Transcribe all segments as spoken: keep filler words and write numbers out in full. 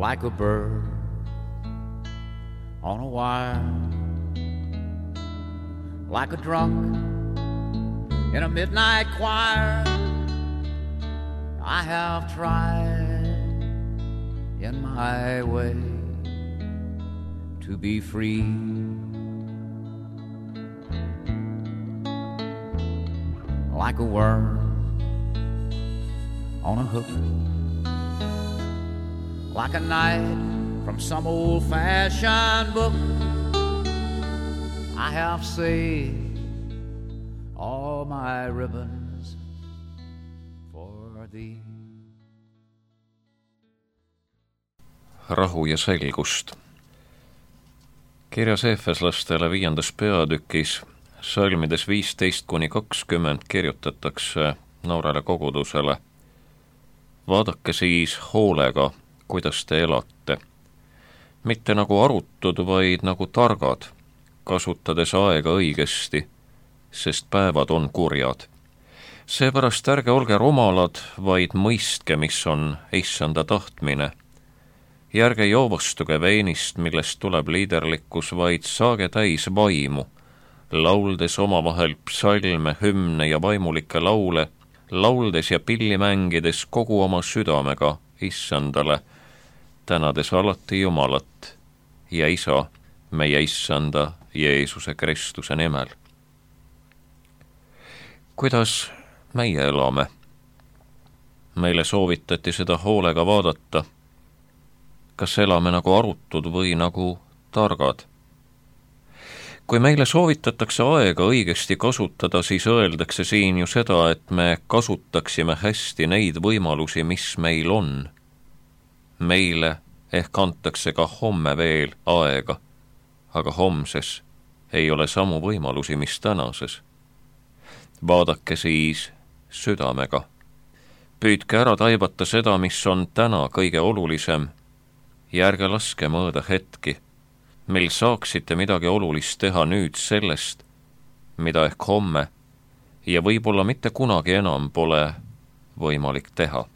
like a bird on a wire, like a drunk in a midnight choir. I have tried in my way to be free, like a worm on a hook, like a knight from some old-fashioned book. I have saved all my ribbons for thee. Rahu ja selgust. Kirjas Efeslastele viiendas peatükis salmides viisteist kuni kakskümmend kirjutatakse noorele kogudusele: vaadake siis hoolega, kuidas te elate. Mitte nagu arutud, vaid nagu targad, kasutades aega õigesti, sest päevad on kurjad. Seepärast ärge olge rumalad, vaid mõistke, mis on issanda tahtmine. Ja ärge joovastuge veinist, millest tuleb liiderlikkus, vaid saage täis vaimu, lauldes omavahel psalme, hümne ja vaimulikke laule, lauldes ja pilli mängides kogu oma südamega issandale, tänades alati Jumalat ja Isa, meie issanda Jeesuse Kristuse nimel. Kuidas meie elame? Meile soovitati seda hoolega vaadata. Kas elame nagu arutud või nagu targad? Kui meile soovitatakse aega õigesti kasutada, siis öeldakse siin ju seda, et me kasutaksime hästi neid võimalusi, mis meil on. Meile ehk antakse ka homme veel aega, aga homses ei ole samu võimalusi, mis tänases. Vaadake siis südamega. Püüdke ära taibata seda, mis on täna kõige olulisem, ja ärge laske mõõda hetki, mil saaksite midagi olulist teha nüüd sellest, mida ehk homme ja võib-olla mitte kunagi enam pole võimalik teha.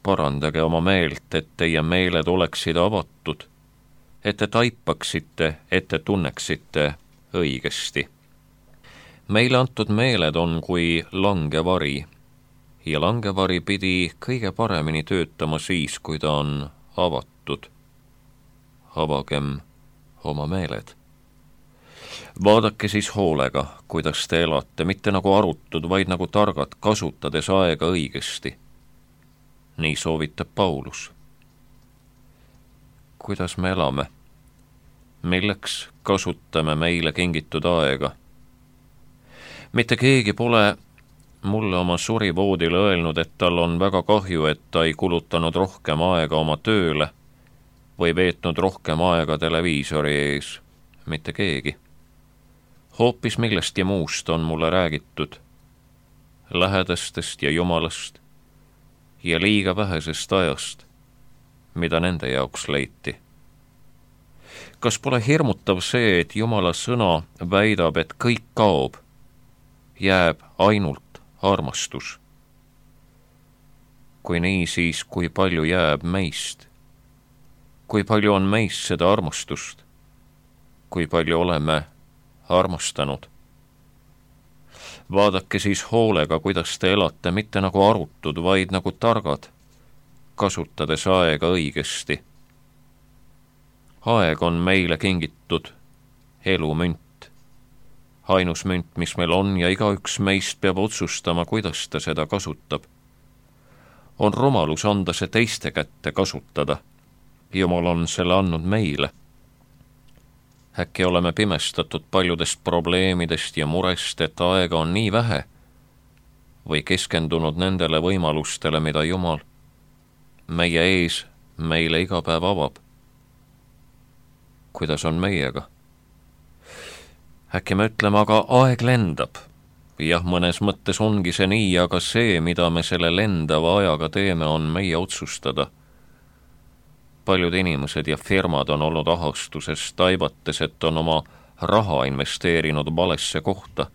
Parandage oma meelt, et teie meeled oleksid avatud, et te taipaksite, et te tunneksite õigesti. Meile antud meeled on kui langevari, ja langevari pidi kõige paremini töötama siis, kui ta on avatud. Avagem oma meeled. Vaadake siis hoolega, kuidas te elate, mitte nagu arutud, vaid nagu targad, kasutades aega õigesti. Nii soovitab Paulus. Kuidas me elame? Milleks kasutame meile kingitud aega? Mitte keegi pole mulle oma surivoodile öelnud, et tal on väga kahju, et ta ei kulutanud rohkem aega oma tööle või veetnud rohkem aega televiisori ees. Mitte keegi. Hoopis millestki muust on mulle räägitud. Lähedastest ja Jumalast ja liiga vähesest ajast, mida nende jaoks leiti. Kas pole hirmutav see, et Jumala sõna väidab, et kõik kaob, jääb ainult armastus? Kui nii, siis kui palju jääb meist? Kui palju on meist seda armastust? Kui palju oleme armastanud? Vaadake siis hoolega, kuidas te elate, mitte nagu arutud, vaid nagu targad, kasutades aega õigesti. Aeg on meile kingitud elumünt. Ainus münt, mis meil on, ja igaüks meist peab otsustama, kuidas ta seda kasutab. On rumalus anda see teiste kätte kasutada. Jumal on selle andnud meile. Äkki oleme pimestatud paljudest probleemidest ja murest, et aega on nii vähe, või keskendunud nendele võimalustele, mida Jumal meie ees meile iga päev avab. Kuidas on meiega? Äkki me ütleme, aga aeg lendab. Jah, mõnes mõttes ongi see nii, aga see, mida me selle lendava ajaga teeme, on meie otsustada. Paljud inimesed ja firmad on olnud ahastuses, taibates, et on oma raha investeerinud valesse kohta.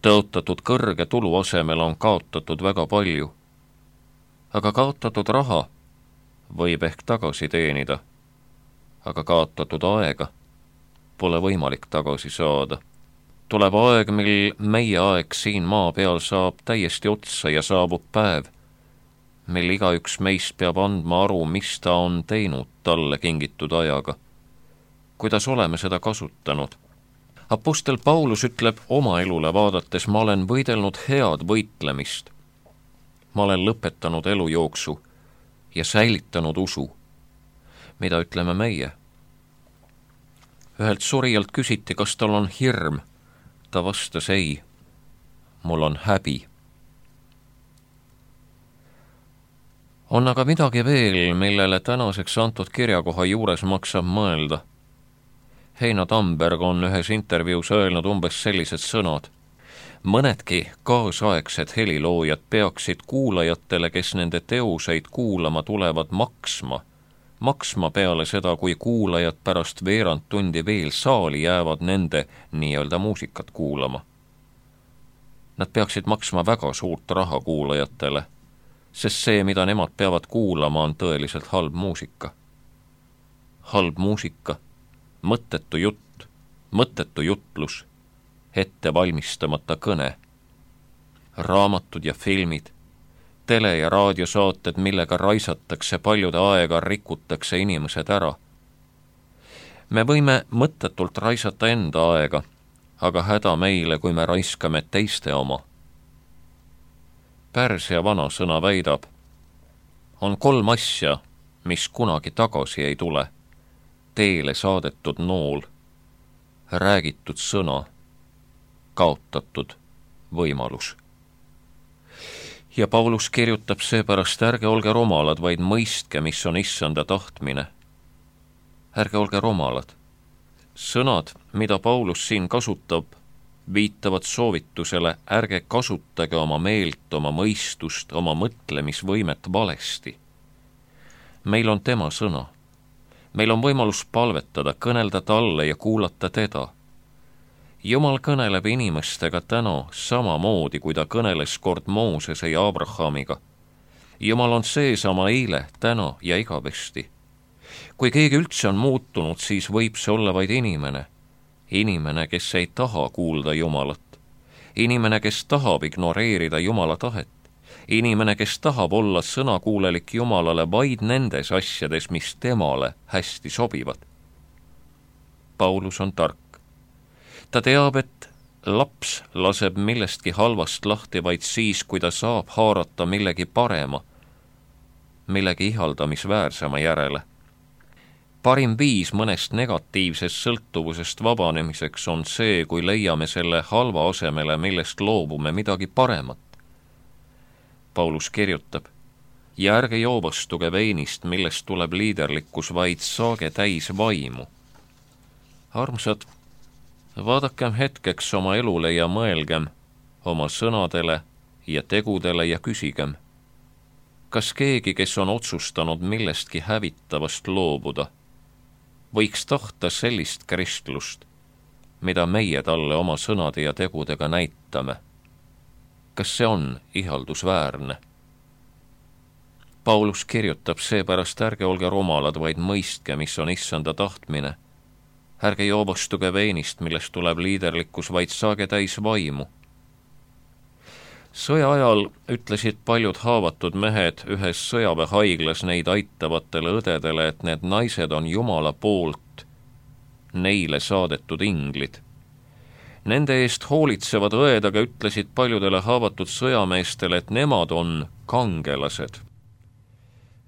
Tõotatud kõrge tulu asemel on kaotatud väga palju. Aga kaotatud raha võib ehk tagasi teenida, aga kaotatud aega pole võimalik tagasi saada. Tuleb aeg, mil meie aeg siin maa peal saab täiesti otsa ja saabub päev, mil igaüks meist peab andma aru, mis ta on teinud talle kingitud ajaga, kuidas oleme seda kasutanud. Apostel Paulus ütleb oma elule vaadates, ma olen võidelnud head võitlemist. Ma olen lõpetanud elujooksu ja säilitanud usu. Mida ütleme meie? Ühelt surijalt küsiti, kas tal on hirm. Ta vastas ei, mul on häbi. On aga midagi veel, millele tänaseks antud kirjakoha juures maksab mõelda. Heino Tamberg on ühes intervjuus öelnud umbes sellised sõnad. Mõnedki kaasaegsed heliloojad peaksid kuulajatele, kes nende teoseid kuulama tulevad, maksma. Maksma peale seda, kui kuulajad pärast veerand tundi veel saali jäävad nende nii-öelda muusikat kuulama. Nad peaksid maksma väga suurt raha kuulajatele, sest see, mida nemad peavad kuulama, on tõeliselt halb muusika. Halb muusika, mõttetu jutt, mõttetu jutlus, ette valmistamata kõne, raamatud ja filmid, tele- ja raadiosaated, millega raisatakse paljude aega, rikutakse inimesed ära. Me võime mõttetult raisata enda aega, aga häda meile, kui me raiskame teiste oma. Pärsia vanasõna väidab, on kolm asja, mis kunagi tagasi ei tule. Teele saadetud nool, räägitud sõna, kaotatud võimalus. Ja Paulus kirjutab seepärast, ärge olge romalad, vaid mõistke, mis on issanda tahtmine. Ärge olge romalad. Sõnad, mida Paulus siin kasutab, viitavad soovitusele, ärge kasutage oma meelt, oma mõistust, oma mõtlemisvõimet valesti. Meil on tema sõna. Meil on võimalus palvetada, kõnelda talle ja kuulata teda. Jumal kõneleb inimestega täna samamoodi, kui ta kõneles kord Moosese ja Abrahamiga. Jumal on seesama eile, täna ja igavesti. Kui keegi üldse on muutunud, siis võib see olla vaid inimene. Inimene, kes ei taha kuulda Jumalat. Inimene, kes tahab ignoreerida Jumala tahet. Inimene, kes tahab olla sõnakuulelik Jumalale vaid nendes asjades, mis temale hästi sobivad. Paulus on tark. Ta teab, et laps laseb millestki halvast lahti vaid siis, kui ta saab haarata millegi parema, millegi ihaldamisväärsema järele. Parim viis mõnest negatiivsest sõltuvusest vabanemiseks on see, kui leiame selle halva asemele, millest loobume midagi paremat. Paulus kirjutab, ja ärge joovastuge veinist, millest tuleb liiderlikkus, vaid saage täis vaimu. Armsad, vaadakem hetkeks oma elule ja mõelgem oma sõnadele ja tegudele ja küsigem, kas keegi, kes on otsustanud millestki hävitavast loobuda, võiks tahta sellist kristlust, mida meie talle oma sõnade ja tegudega näitame. Kas see on ihaldusväärne? Paulus kirjutab seepärast, ärge olge romalad, vaid mõistke, mis on issanda tahtmine. Ärge joovastuge veinist, millest tuleb liiderlikkus, vaid saage täis vaimu. Sõja ajal ütlesid paljud haavatud mehed ühes sõjaväehaiglas neid aitavatele õdedele, et need naised on Jumala poolt neile saadetud inglid. Nende eest hoolitsevad õed aga ütlesid paljudele haavatud sõjameestele, et nemad on kangelased.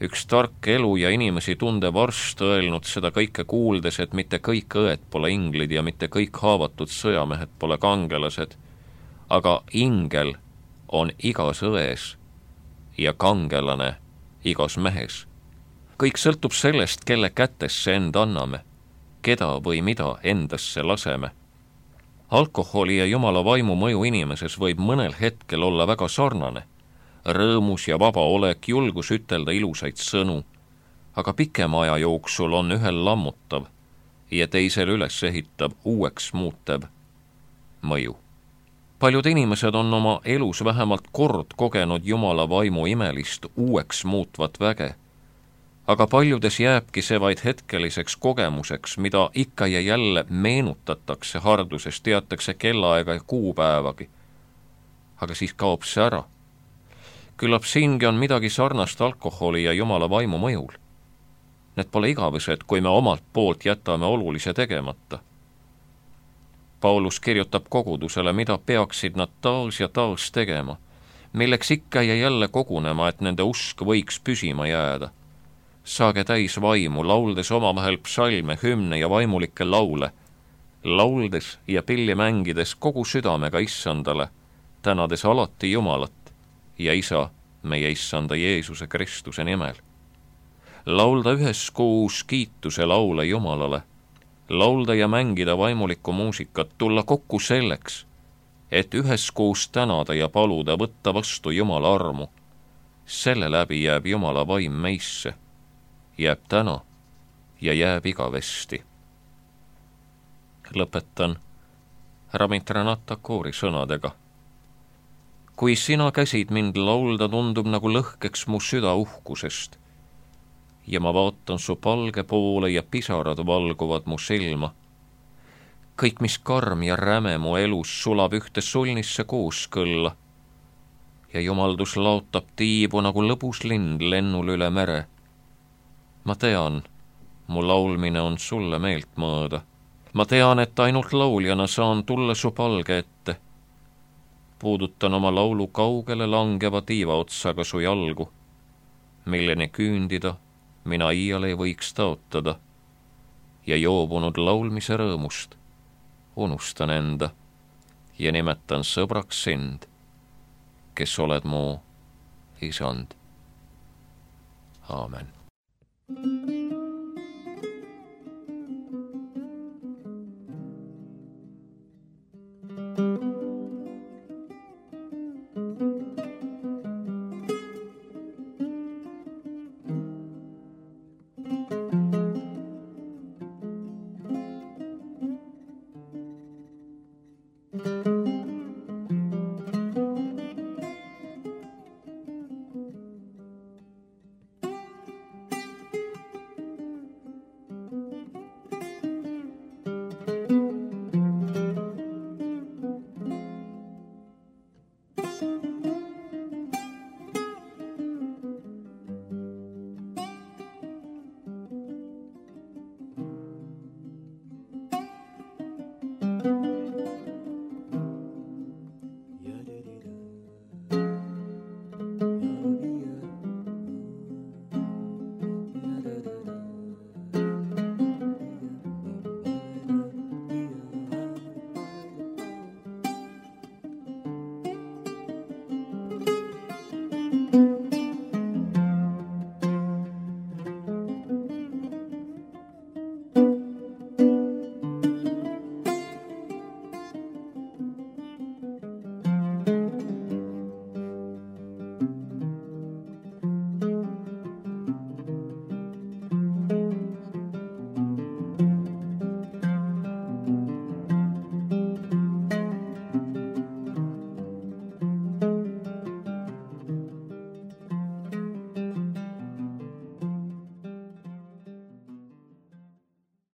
Üks tark elu ja inimesi tundev arst öelnud seda kõike kuuldes, et mitte kõik õed pole inglid ja mitte kõik haavatud sõjamehed pole kangelased, aga ingel on igas ões ja kangelane igas mehes. Kõik sõltub sellest, kelle kätesse end anname, keda või mida endasse laseme. Alkoholi ja Jumala vaimu mõju inimeses võib mõnel hetkel olla väga sarnane. Rõõmus ja vaba olek, julgus ütelda ilusaid sõnu, aga pikema aja jooksul on ühel lammutav ja teisel üles ehitab uueks muutev mõju. Paljud inimesed on oma elus vähemalt kord kogenud Jumala vaimu imelist uueks muutvat väge aga paljudes jääbki see vaid hetkeliseks kogemuseks, mida ikka ja jälle meenutatakse harduses, teatakse kellaaega ja kuupäevagi. Aga siis kaob see ära. Küllap siingi on midagi sarnast alkoholi ja Jumala vaimu mõjul. Need pole igavesed, kui me omalt poolt jätame olulise tegemata. Paulus kirjutab kogudusele, mida peaksid nad taas ja taas tegema, milleks ikka ja jälle kogunema, et nende usk võiks püsima jääda. Saage täis vaimu, lauldes omavahel psalme, hümne ja vaimulikke laule, lauldes ja pilli mängides kogu südamega issandale, tänades alati Jumalat ja Isa meie issanda Jeesuse Kristuse nimel. Laulda üheskoos kiituse laule Jumalale, laulda ja mängida vaimulikku muusikat, tulla kokku selleks, et üheskoos tänada ja paluda võtta vastu Jumala armu. Selle läbi jääb Jumala vaim meisse, jääb täna ja jääb igavesti. Lõpetan Rabindranath Tagore'i sõnadega. Kui sina käsid mind laulda, tundub nagu lõhkeks mu süda uhkusest ja ma vaatan su palge poole ja pisarad valguvad mu silma. Kõik, mis karm ja räme mu elus, sulab ühte sulnisse kooskõlla ja jumaldus laotab tiibu nagu lõbus lind lennul üle mere. Ma tean, mu laulmine on sulle meelt mõõda. Ma tean, et ainult lauljana saan tulla su palge ette. Puudutan oma laulu kaugele langeva tiiva otsaga su jalgu, milleni küündida mina iial ei võiks taotada, ja joobunud laulmise rõõmust unustan enda ja nimetan sõbraks sind, kes oled mu isand. Aamen.